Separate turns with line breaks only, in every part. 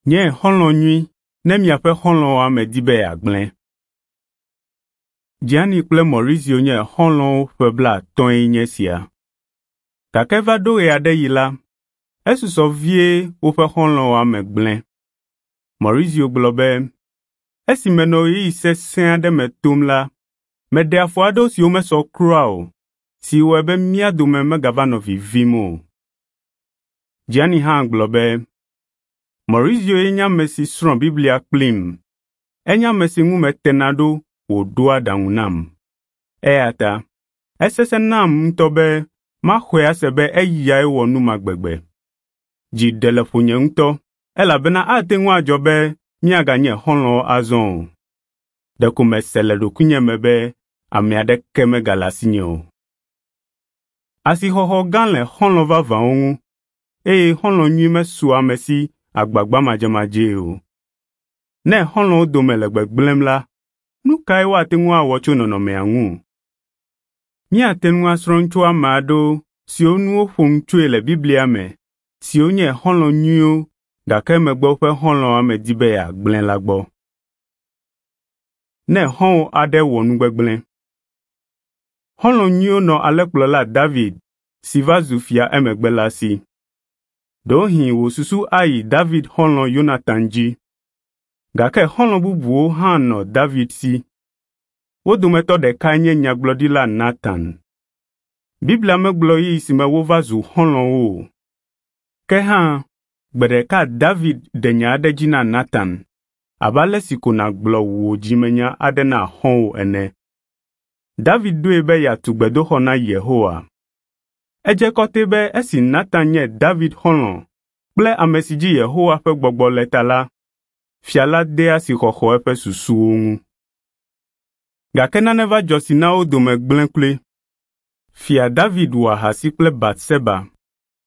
Nye xɔlɔ̃ nyui ne miaƒe xɔlɔ̃wɔame di be yeagblẽ. Gianni kple Maurizio nye xɔlɔ̃wo ƒe blaatɔ̃e nye esia. Gake va ɖo ɣe aɖe ɣi la, esusɔ vie woƒe xɔlɔ̃wɔame gblẽ. Maurizio gblɔ be, “Esi menɔ ɣeyiɣi sesẽ aɖe me tom la, meɖe afɔ aɖewo siwo mesɔ kura o, si wɔe be mía dome megava nɔ vivim o.” Gianni hã gblɔ be, “Maurizio ye nye ame si srɔ̃ Biblia kplim. Enye ame si ŋu metena ɖo wòɖoa aɖaŋu nam. Eya ta esesẽ nam ŋutɔ be maxɔe ase be eyae wɔ nu ma gbegbe. Dzi ɖe le ƒonye ŋutɔ elabena ate ŋu adzɔ be míaganye xɔlɔ̃wo azɔ o. Ɖeko mese le ɖokuinye me be ame aɖeke megale asinye o.” Asixɔxɔ gã le xɔlɔ̃ vavãwo ŋu eye xɔlɔ̃ nyui mesua ame si agbagba madzemadzee o. Ne xɔlɔ̃wo dome le gbegblẽm la, nu kae woate ŋu awɔ tso nɔnɔmea ŋu? Míate ŋu asrɔ̃ nu tso ame aɖewo siwo ŋu woƒo nu tsoe le Biblia me siwo nye xɔlɔ̃ nyuiwo gake emegbe woƒe xɔlɔ̃wɔame di be yeagblẽ la gbɔ. Ne xɔ̃wò aɖe wɔ nu gbegblẽ. Xɔlɔ̃ nyuiwo nɔ alẽkplɔla David si va zu fia emegbe la si. Ɖewohĩ wò susu ayi David xɔlɔ̃ Yonatan dzi. Gake xɔlɔ̃ bubuwo hã nɔ David si. Wo dometɔ ɖekae nye nyagblɔɖila Natan. Biblia megblɔ ɣeyiɣi si me wova zu xɔlɔ̃wo o. Ke hã, gbe ɖeka David ɖe nya aɖe dzi na Natan, abe ale si ko nàgblɔ wò dzimenya aɖe na xɔ̃wò ene. David ɖoe be yeatu gbedoxɔ na Yehowa. Edze kɔtɛe be esi Natan nye David xɔlɔ̃ kple ame si dzi Yehowa ƒe gbɔgbɔ le ta la, fia la dea asixɔxɔ eƒe susuwo ŋu. Gake nane va dzɔ si na wo dome gblẽ kloe. Fia David wɔ ahasi kple Batseba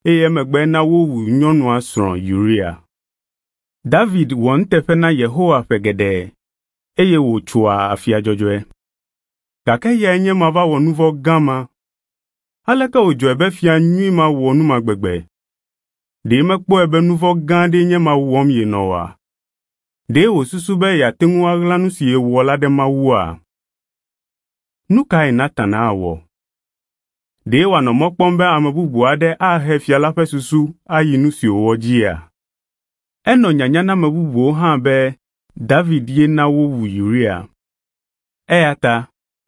eye emegbe ena wowu nyɔnua srɔ̃ Uria. David wɔ nuteƒe na Yehowa ƒe geɖe eye wòtsoa afia dzɔdzɔe. Gake eyae nye ema va wɔ nu vɔ̃ gã ma. Aleke wòdzɔe be fia nyui ma wɔ nu ma gbegbe? Ɖe mekpɔe be nu vɔ̃ gã aɖee nye ema wɔm yenɔ oa? Ɖe wòsusu be yeate ŋu aɣla nu si yewɔ la ɖe Mawua? Nu kae Natan awɔ? Ɖe wòanɔ mɔ kpɔm be ame bubu aɖe ahe fia la ƒe susu ayi nu si wòwɔ dzia? Enɔ nyanya na ame bubuwo hã be David ye na wowu Uria. Eya ta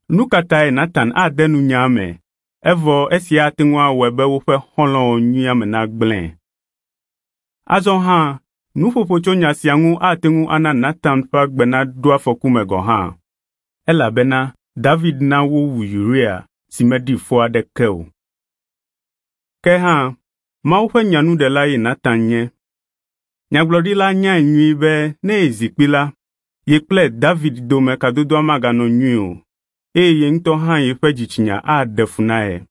nu ka tae Natan ade nu nyaa me evɔ esia ate ŋu awɔe be woƒe xɔlɔ̃wɔ nyuia me nagblẽ? Azɔ hã nuƒoƒo tso nya sia ŋu ate ŋu ana Natan ƒe agbe naɖo afɔku me gɔ̃ hã, elabena David na wowu Uria si meɖi fɔ aɖeke o. Ke hã, Mawu ƒe nyanuɖela ye Natan nye. Nyagblɔɖila nyae nyuie be ne yezi kpi la, ye kple David dome kadodoa maganɔ nyuie o, eye ye ŋutɔ hã yeƒe dzitsinya aɖe fu na ye.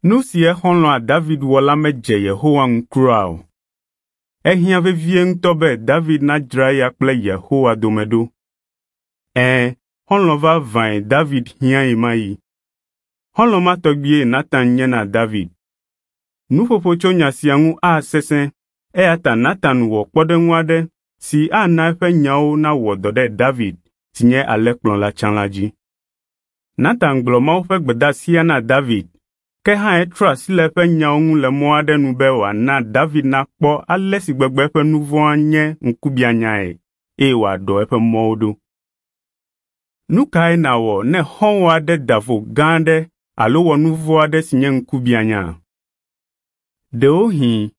Nu si exɔlɔ̃a David wɔ la medze Yehowa ŋu kura o. Ehiã vevie ŋutɔ be David nadzra eya kple Yehowa dome ɖo. Ɛ̃, xɔlɔ̃ vavãe David hiã ɣemaɣi. Xɔlɔ̃ ma tɔgbie Natan nye na David. Nuƒoƒo tso nya sia ŋu asesẽ, eya ta Natan wɔ kpɔɖeŋu aɖe si ana eƒe nyawo nawɔ dɔ ɖe David si nye alẽkplɔla tsã la dzi. Natan gblɔ Mawu ƒe gbedeasia na David, ke hã etrɔ asi le eƒe nyawo ŋu le mɔ aɖe nu be wòana David nakpɔ ale si gbegbe eƒe nu vɔ̃a nye ŋkubiãnyae eye wòaɖɔ eƒe mɔwo ɖo. Nu kae nàwɔ ne xɔ̃wò aɖe da vo gã aɖe alo wɔ nu vɔ̃ aɖe si nye ŋkubiãnya? Ɖewohĩ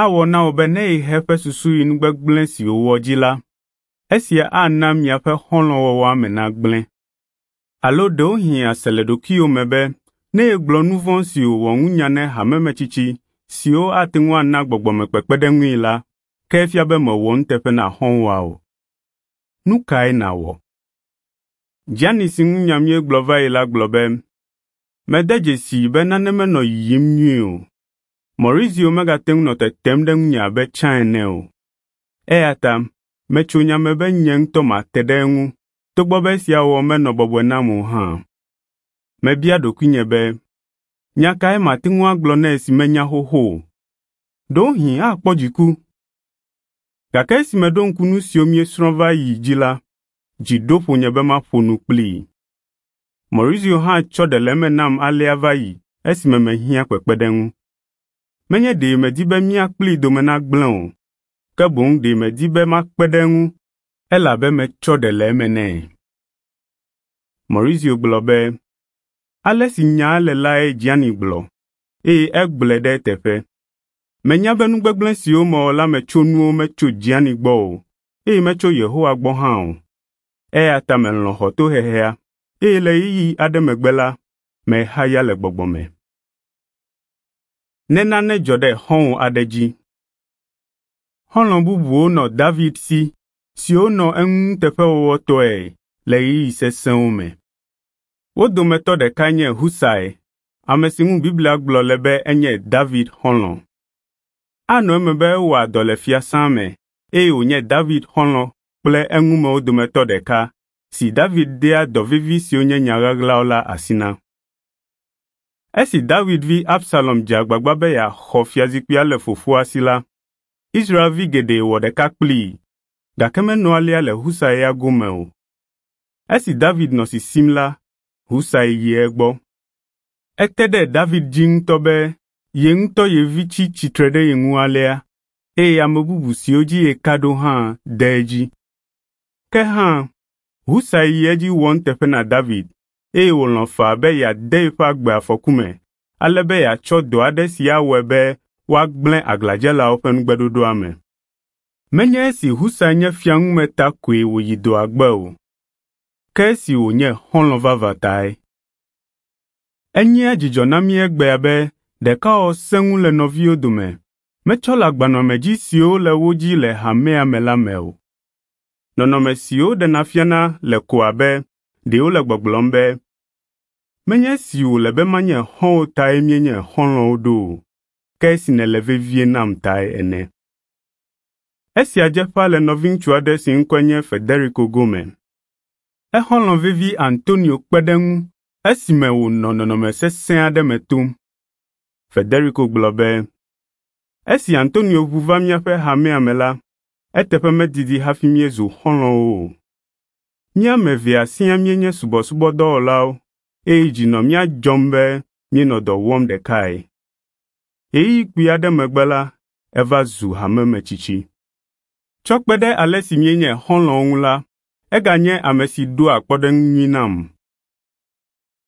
awɔ na wò be ne yehe eƒe susu yi nu gbegblẽ si wòwɔ dzi la, esia ana miaƒe xɔlɔ̃wɔwɔa me nagblẽ. Alo ɖewohĩ àse le ɖokuiwò me be ne yegblɔ nu vɔ̃ si wòwɔ ŋu nya na hamemetsitsi siwo ate ŋu ana gbɔgbɔmekpekpeɖeŋui la, ke efia be mèwɔ nuteƒe na xɔ̃wòa o. Nu kae nàwɔ? Gianni si ŋu nya míegblɔ va yi la gblɔ be, “Mede dzesii be nane menɔ yiyim nyuie o. Maurizio megate ŋu nɔ tetem ɖe ŋunye abe tsã ene o. Eya ta metso nya me be nye ŋutɔ mate ɖe eŋu togbɔ be esia wɔwɔ menɔ bɔbɔe nam o hã. Mebia ɖokuinye be, nya kae mate ŋu agblɔ nɛ si menya xoxo o? Ɖewohĩ akpɔ dziku. Gake esi meɖo ŋku nu siwo míesrɔ̃ va yi dzi la, dzi ɖo ƒonye be maƒo nu kplii. Maurizio hã tsɔ ɖe le eme nam alea va yi esime mehiã kpekpeɖeŋu. Menye ɖe medi be mía kplii dome nagblẽ o, ke boŋ ɖe medi be makpe ɖe eŋu elabe metsɔ ɖe le eme nɛ. Maurizio gblɔ be, ale si nyaa le lae Gianni gblɔ, eye egblɔe ɖe eteƒe. Menya be nu gbegblẽ siwo mewɔ la me tsonuwo metso Gianni gbɔ o, eye metso Yehowa gbɔ hã o. Eya ta melɔ̃ xɔ tohehea, eye le ɣeyiɣi aɖe megbe la, mehaya le gbɔgbɔ me. Ne nane dzɔ ɖe xɔ̃wò aɖe dzi. Xɔlɔ̃ bubuwo nɔ David si siwo nɔ eŋu nuteƒewɔwɔtɔe le ɣeyiɣi sesẽwo me. Wo dometɔ ɖekae nye Husai, ame si ŋu Biblia gblɔ le be enye David xɔlɔ̃. Anɔ eme be ewɔa dɔ le fiasã me eye wònye David xɔlɔ̃ kple eŋumewo dometɔ ɖeka si David dea dɔ vevi siwo nye nya ɣaɣlawo la asi na. Esi David vi Absalom dze agbagba be yeaxɔ fiazikpuia le fofoa si la, Israelvi geɖe wɔ ɖeka kplii, gake menɔ alea le Husai ya gome o. Esi David nɔ sisim la, Husai yi egbɔ. Ete ɖe David dzi ŋutɔ be ye ŋutɔ ye vi tsi tsitre ɖe ye ŋu alea, eye ame bubu siwo dzi yeka ɖo hã de edzi. Ke hã, Husai yi edzi wɔ nuteƒe na David eye wòlɔ̃ faa be yeade yeƒe agbe afɔku me ale be yeatsɔ dɔ aɖe si awɔe be woagblẽ aglãdzelawo ƒe nugbeɖoɖoa me. Menye esi Husai nye fiaŋume ta koe wòyi dɔa gbe o, ke esi wònye xɔlɔ̃ vavã tae. Enyea dzidzɔ na mí egbea be ɖekawɔwɔ sẽŋu le nɔviwo dome, metsɔ le agbanɔamedzi siwo le wo dzi le hamea me la me o. Nɔnɔme siwo ɖena fiana le ko abe ɖe wole gbɔgblɔm be, menye esi wòle be manye xɔ̃wò tae míenye xɔlɔ̃wo ɖo o, ke esi nèle vevie nam tae ene. Esia dze ƒãa le nɔviŋutsu aɖe si ŋkɔe nye Federico gome. Exɔlɔ̃ vevi Antonio kpe ɖe eŋu esime wònɔ nɔnɔme sesẽ aɖe me tom. Federico gblɔ be, esi Antonio ʋu va míaƒe hamea me la, eteƒe medidi hafi míezu xɔlɔ̃wo o. Mí ame evea siaa míenye subɔsubɔdɔwɔlawo eye dzi nɔ mía dzɔm be míenɔ dɔ wɔm ɖekae. Ɣeyiɣi kpui aɖe megbe la, eva zu hamemetsitsi. Tsɔ kpe ɖe ale si míenye xɔlɔ̃wo ŋu la, eganye ame si ɖoa kpɔɖeŋu nyui nam.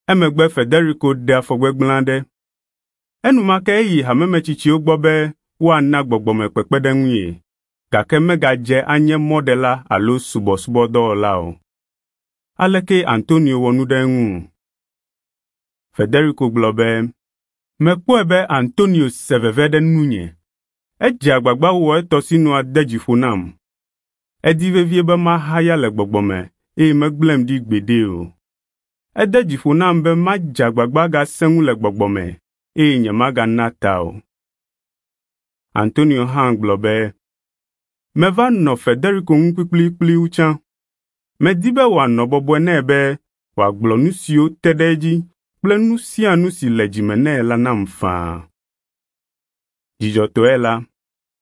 Emegbe Federico ɖe afɔ gbegblẽ aɖe. Enumake eyi hamemetsitsiwo gbɔ be woana gbɔgbɔmekpekpeɖeŋu ye, gake megadze anye mɔɖela alo subɔsubɔdɔwɔla o. Aleke Antonio wɔ nu ɖe eŋu? Federico gblɔ be, mekpɔe be Antonio se veve ɖe nunye. Edze agbagba wɔ etɔ sinua de dzi ƒo nam. Edi vevie be mahaya le gbɔgbɔ me eye megblẽm ɖi gbeɖe o. Ede dzi ƒo nam be madze agbagba agasẽ ŋu le gbɔgbɔ me eye nyemagana ta o. Antonio hã gblɔ be, meva nɔ Federico ŋu kplikplikpli wu tsã. Medi be wòanɔ bɔbɔe nɛ be wòagblɔ nu siwo te ɖe edzi kple nu sia nu si le dzime nɛ la nam faa. Dzidzɔtɔe la,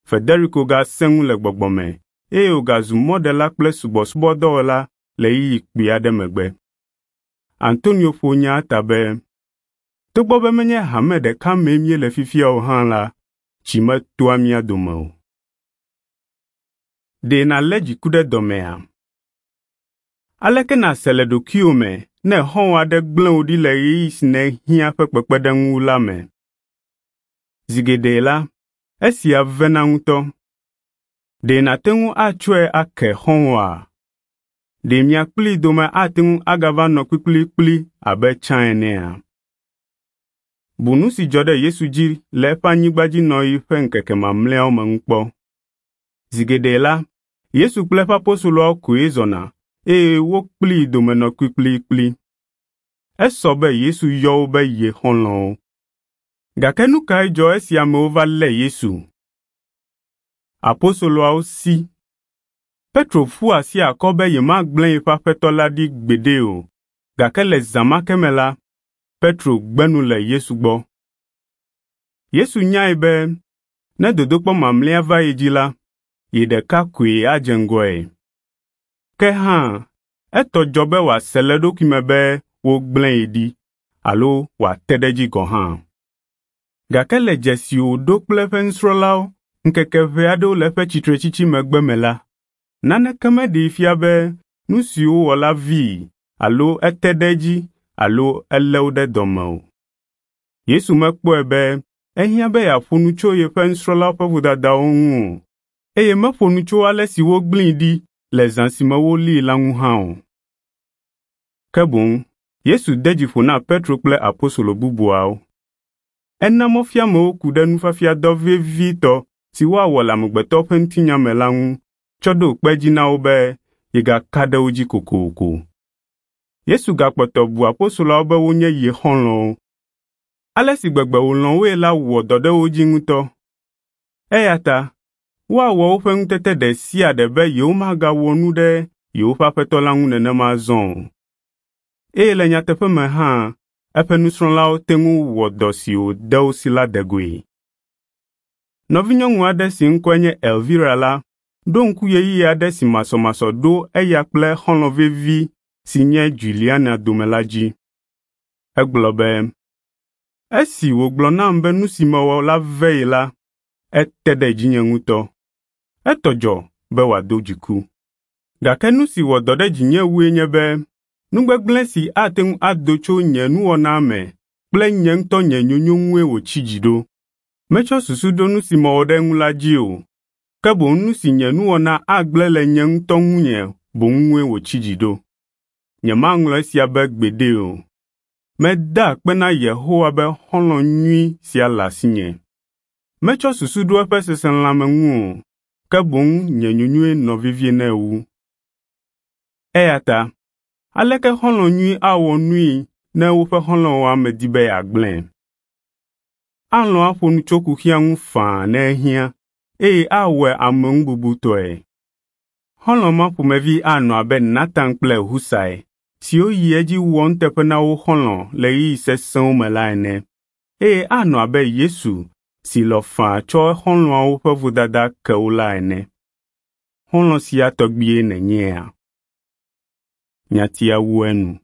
Federico gasẽ ŋu le gbɔgbɔ me eye wògazu mɔɖela kple subɔsubɔdɔwɔla le ɣeyiɣi kpui aɖe megbe. Antonio ƒo nyaa ta be, togbɔ be menye hame ɖeka mee míele fifia o hã la, tsi metoa mía dome o. Ɖe nàlé dziku ɖe dɔmea? Aleke nàse le ɖokuiwò me ne xɔ̃wò aɖe gblẽ wò ɖi le ɣeyiɣi si nèhiã ƒe kpekpeɖeŋu la me? Zi geɖe la, esia vena ŋutɔ. Ɖe nàte ŋu atsɔe ake xɔ̃wòa? Ɖe mia kplii dome ate ŋu agava nɔ kplikplikpli abe tsã enea? Bu nu si dzɔ ɖe Yesu dzi le eƒe anyigbadzinɔɣi ƒe ŋkeke mamlɛawo me ŋu kpɔ. Zi geɖe la, Yesu kple eƒe apostoloawo koe zɔna eye wo kplii dome nɔ kplikplikpli. Esɔ be Yesu yɔ wo be ye xɔlɔ̃wo. Gake nu kae dzɔ esi amewo va lé Yesu? Apostoloawo si. Petro ƒu asi akɔ be yemagblẽ yeƒe aƒetɔ la ɖi gbeɖe o, gake le zã ma ke me la, Petro gbe nu le Yesu gbɔ. Yesu nyae be ne dodokpɔ mamlɛa va ye dzi la, ye ɖeka koe adze ŋgɔe. Ke hã, etɔ dzɔ be wòase le eɖokui me be wogblẽ ye ɖi alo wòate ɖe edzi gɔ̃ hã. Gake le dze si wòɖo kple eƒe nusrɔ̃lawo ŋkeke ʋɛ aɖewo le eƒe tsitretsitsi megbe me la, naneke meɖee fia be nu si wowɔ la vii alo ete ɖe edzi alo elé wo ɖe dɔ me o. Yesu mekpɔe be ehiã be yeaƒo nu tso yeƒe nusrɔ̃lawo ƒe vodadawo ŋu o, eye meƒo nu tso ale si wogblẽe ɖi le zã si me wolée la ŋu hã o. Ke boŋ Yesu de dzi ƒo na Petro kple apostolo bubuawo. Ena mɔfiamewo ku ɖe nufiafiadɔ vevitɔ si woawɔ le amegbetɔ ƒe ŋutinya me la ŋu tsɔ ɖo kpe edzi na wo be yegaka ɖe wo dzi kokoko. Yesu gakpɔtɔ bu apostoloawo be wonye ye xɔlɔ̃wo. Ale si gbegbe wòlɔ̃ woe la wɔ dɔ ɖe wo dzi ŋutɔ. Eya ta woawɔ woƒe ŋutete ɖe sia ɖe be yewomagawɔ nu ɖe yewoƒe Aƒetɔ la ŋu nenema azɔ o. Eye le nyateƒe me hã, eƒe nusrɔ̃lawo te ŋu wɔ dɔ si wòde wo si la de goe. Nɔvinyɔnu aɖe si ŋkɔe nye Elvira la ɖo ŋku ɣeyiɣi aɖe si masɔmasɔ ɖo eya kple xɔlɔ̃ vevi si nye Juliana dome la dzi. Egblɔ be, “Esi wògblɔ nam be nu si mewɔ la ve ye la, ete ɖe dzinye ŋutɔ. Etɔ dzɔ be wòado dziku. Gake nu si wɔ dɔ ɖe dzinye wue nye be nu gbegblẽ si ate ŋu ado tso nye nuwɔna me kple nye ŋutɔ nye nyonyo ŋue wòtsi dzi ɖo. Metsɔ susu ɖo nu si mewɔ ɖe eŋu la dzi o, ke boŋ nu si nye nuwɔna agblẽ le nye ŋutɔ ŋunye boŋ ŋue wòtsi dzi ɖo. Nyemaŋlɔ esia be gbeɖe o. Meda akpe na Yehowa be xɔlɔ̃ nyui sia le asinye. Metsɔ susu ɖo eƒe seselelãme ŋu o, ke boŋ nye nyonyoe nɔ vevie nɛ wu. Eya ta, aleke xɔlɔ̃ nyui awɔ nui ne woƒe xɔlɔ̃wɔa medi be yeagblẽe? Alɔ̃ aƒo nu tso kuxia ŋu faa ne ehiã, eye awɔe ameŋububutɔe. Xɔlɔ̃ ma ƒomevi anɔ abe Natan kple Husai siwo yi edzi wɔ nuteƒe na wo xɔlɔ̃ le ɣeyiɣi sesẽwo me la ene, eye anɔ abe Yesu si lɔ̃ faa tsɔ exɔlɔ̃awo ƒe vodada ke wo la ene. Xɔlɔ̃ sia tɔgbie nènyea? Nyatia wu enu.